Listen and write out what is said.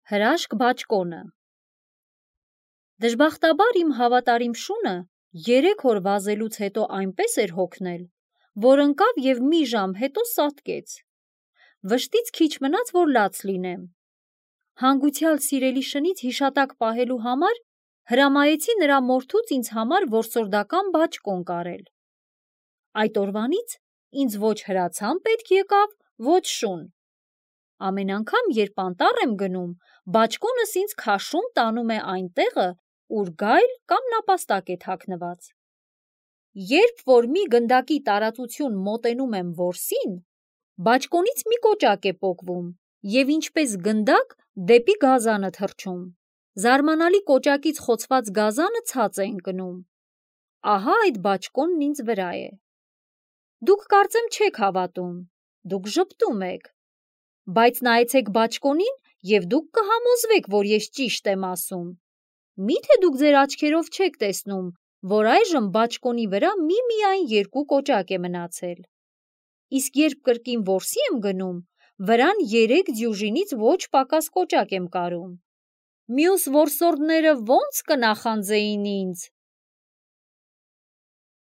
Հրաշք բաճկոնը։ Դժբախտաբար իմ հավատարիմ շունը 3 օր վազելուց հետո այնպես էր հոգնել, որ ընկավ և մի ժամ հետո սատկեց։ Վշտից քիչ մնաց, որ լաց լինեմ։ Հանգուցյալ սիրելի շնից հիշատակ պահելու համար հրամայեցի նրա մորթուց ինձ համար որսորդական բաճկոն կարել։ Այդ օրվանից ինձ ոչ հրացան պետք եկավ, ոչ շուն։ Ամեն անգամ, երբ անտառ եմ գնում, բաճկոնս ինձ քաշում տանում է այն տեղը, ուր գայլ կամ նապաստակ է թաքնված։ Երբ որ մի գնդակի տարածություն մոտենում եմ որսին, բաճկոնից մի կոճակ է պոկվում և ինչպես գնդակ դեպի գազանը թռչում։ Զարմանալի կոճակից խոցված գազանը ցած է ընկնում։ Ահա այդ բաճկոնն ինձ վրա է։ Դուք կարծեմ չեք հավատում, դուք ժպտում եք։ Բայց նայեցեք բաճկոնին և դուք կհամոզվեք, որ ես ճիշտ եմ ասում։ Միթե դուք ձեր աչքերով չեք տեսնում, որ այժմ բաճկոնի վրա միմիայն 2 կոճակ է մնացել։ Իսկ երբ կրկին որսի եմ գնում, վրան 3 դյուժինից ոչ պակաս կոճակ եմ կարում։ Մյուս որսորդները ո՞նց կնախանձեին ինձ։